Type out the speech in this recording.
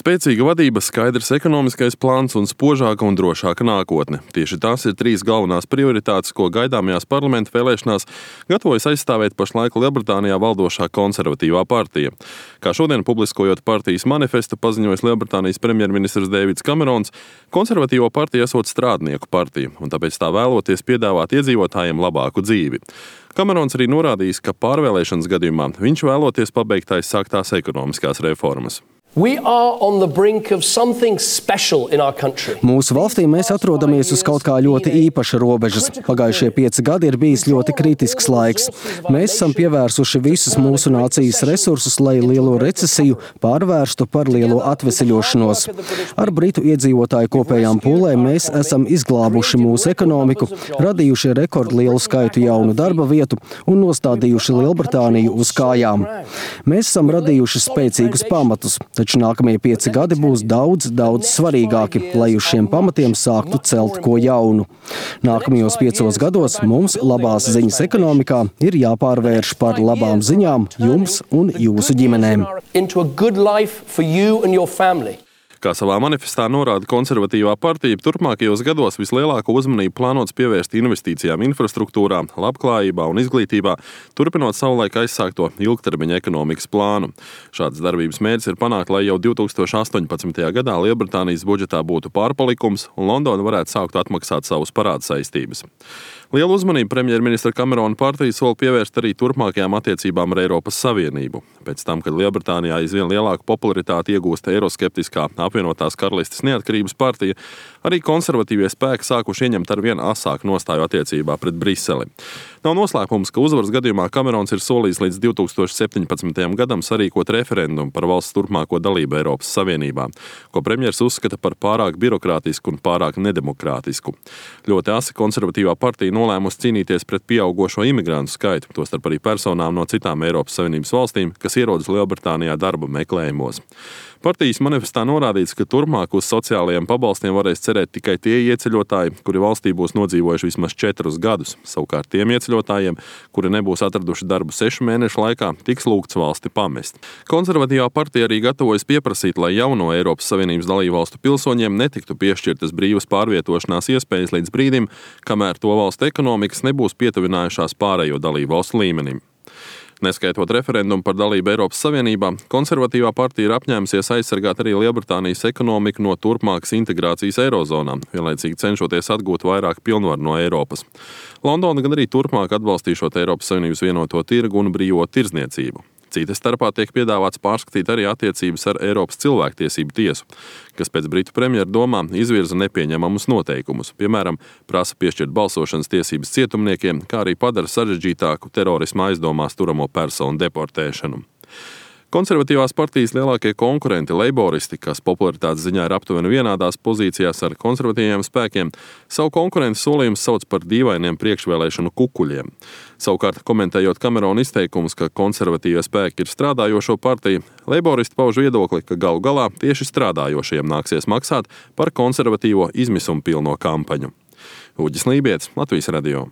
Spēcīga vadība, skaidrs ekonomiskais plāns un spožāka un drošāka nākotne. Tieši tās ir trīs galvenās prioritātes, ko gaidāmajās parlamenta vēlēšanās gatavojas aizstāvēt pašlaik Lielbritānijā valdošā konservatīvā partija. Kā šodien publiskojot partijas manifestu paziņojis Lielbritānijas premjerministrs Deivids Kamerons, konservatīvo partija esot strādnieku partija, un tāpēc tā vēloties piedāvāt iedzīvotājiem labāku dzīvi. Kamerons arī norādījis, ka pārvēlēšanas gadījumā viņš vēloties pabeigt aizsāktās ekonomiskās reformas. Mūsu valstī mēs atrodamies uz kaut kā ļoti īpaša robežas. Pagājušie 5 gadi ir bijis ļoti kritisks laiks. Mēs esam pievērsuši visus mūsu nācijas resursus, lai lielo recesiju pārvērstu par lielo atveseļošanos. Ar britu iedzīvotāju kopējām pūlēm mēs esam izglābuši mūsu ekonomiku, radījuši rekordlielu skaitu jaunu darba vietu un nostādījuši Lielbritāniju uz kājām. Mēs esam radījuši spēcīgus pamatus. Taču nākamie 5 gadi būs daudz svarīgāki, lai uz šiem pamatiem sāktu celt ko jaunu. Nākamajos 5 gados mums labās ziņas ekonomikā ir jāpārvērš par labām ziņām jums un jūsu ģimenēm. Kā savā manifestā norāda konservatīvā partija, turpmākajos gados vislielāko uzmanību plānots pievērst investīcijām infrastruktūrā, labklājībā un izglītībā, turpinot savulaik aizsākto ilgtermiņa ekonomikas plānu. Šāds darbības mērķis ir panākt, lai jau 2018. gadā Lielbritānijas budžetā būtu pārpalikums un Londona varētu sākt atmaksāt savus parādu saistības. Lielu uzmanību premjerministra Kamerona partija sola pievērst arī turpmākajām attiecībām ar Eiropas Savienību. Pēc tam, kad Lielbritānijā aizvien lielāku popularitāti iegūst eiroskeptiskā apvienotās karalistes neatkarības partija, arī konservatīvie spēki sākuši ieņemt arvien asāku nostāju attiecībā pret Briseli. Nav noslēpums, ka uzvaras gadījumā Kamerons ir solījis līdz 2017. gadam sarīkot referendumu par valsts turpmāko dalību Eiropas Savienībā, ko premjers uzskata par pārāk birokrātisku un pārāk nedemokrātisku. Ļoti asi konservatīvā partija nolēmusi cīnīties pret pieaugošo imigrantu skaitu, tostarp arī personām no citām Eiropas Savienības valstīm, kas ierodas Lielbritānijā darba meklējumos. Partijas manifestā norādīts, ka turpmāk uz sociālajiem pabalstiem varēs cerēt tikai tie ieceļotāji, kuri valstī būs nodzīvojuši vismaz 4 gadus. Savukārt tiem ieceļotājiem, kuri nebūs atraduši darbu 6 mēnešu laikā, tiks lūgts valsti pamest. Konservatīvā partija arī gatavojas pieprasīt, lai jauno Eiropas Savienības dalībvalstu pilsoņiem netiktu piešķirtas brīvas pārvietošanās iespējas līdz brīdim, kamēr to valstu ekonomikas nebūs pietuvinājušās pārējo dalībvalstu līmenim. Neskaitot referendumu par dalību Eiropas Savienībā, konservatīvā partija ir apņēmusies aizsargāt arī Lielbritānijas ekonomiku no turpmākas integrācijas Eirozonā, vienlaicīgi cenšoties atgūt vairāk pilnvaru no Eiropas. Londona gan arī turpmāk atbalstīšot Eiropas Savienības vienoto tirgu un brīvo tirdzniecību. Cita starpā tiek piedāvāts pārskatīt arī attiecības ar Eiropas cilvēktiesību tiesu, kas pēc britu premjera domām izvirza nepieņemamus noteikumus, piemēram, prasa piešķirt balsošanas tiesības cietumniekiem, kā arī padara sarežģītāku terorisma aizdomās turamo personu deportēšanu. Konservatīvās partijas lielākie konkurenti, leiboristi, kas popularitātes ziņā ir aptuveni vienādās pozīcijās ar konservatīviem spēkiem, savu konkurentu solījumus sauc par dīvainiem priekšvēlēšanu kukuļiem. Savukārt, komentējot Kamerona izteikumus, ka konservatīvie spēki ir strādājošo partiju, leiboristi pauž viedokli, ka galu galā tieši strādājošiem nāksies maksāt par konservatīvo izmisumu pilno kampaņu. Uģis Lībietis, Latvijas radio.